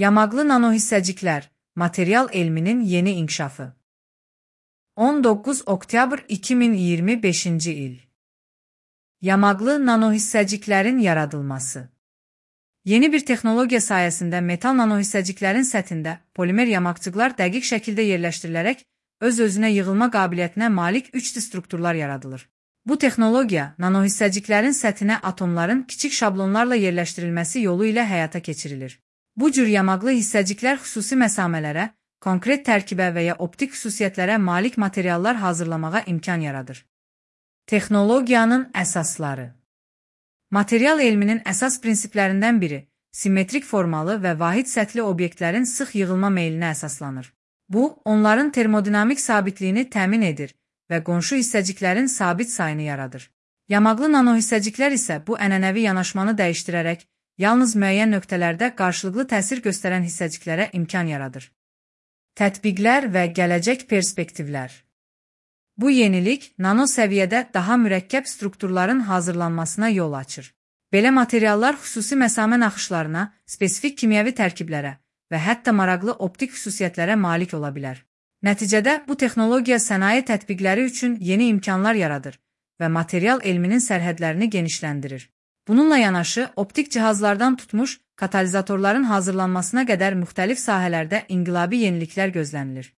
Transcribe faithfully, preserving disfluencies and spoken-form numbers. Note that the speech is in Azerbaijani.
Yamaqlı nanohissəciklər, material elminin yeni inkişafı. on doqquz oktyabr iki min iyirmi beşinci il. Yamaqlı nanohissəciklərin yaradılması. Yeni bir texnologiya sayəsində metal nanohissəciklərin səthində polimer yamaqcıqlar dəqiq şəkildə yerləşdirilərək öz-özünə yığılma qabiliyyətinə malik üç D strukturlar yaradılır. Bu texnologiya nanohissəciklərin səthinə atomların kiçik şablonlarla yerləşdirilməsi yolu ilə həyata keçirilir. Bu cür yamaqlı hissəciklər xüsusi məsamələrə, konkret tərkibə və ya optik xüsusiyyətlərə malik materiallar hazırlamağa imkan yaradır. Texnologiyanın əsasları. Material elminin əsas prinsiplərindən biri, simmetrik formalı və vahid səthli obyektlərin sıx yığılma meylinə əsaslanır. Bu, onların termodinamik sabitliyini təmin edir və qonşu hissəciklərin sabit sayını yaradır. Yamaqlı nanohissəciklər isə bu ənənəvi yanaşmanı dəyişdirərək, yalnız müəyyən nöqtələrdə qarşılıqlı təsir göstərən hissəciklərə imkan yaradır. Tətbiqlər və gələcək perspektivlər. Bu yenilik, nano səviyyədə daha mürəkkəb strukturların hazırlanmasına yol açır. Belə materiallar xüsusi məsamə naxışlarına, spesifik kimyəvi tərkiblərə və hətta maraqlı optik xüsusiyyətlərə malik ola bilər. Nəticədə, bu texnologiya sənaye tətbiqləri üçün yeni imkanlar yaradır və material elminin sərhədlərini genişləndirir. Bununla yanaşı, optik cihazlardan tutmuş, katalizatorların hazırlanmasına qədər müxtəlif sahələrdə inqilabi yeniliklər gözlənilir.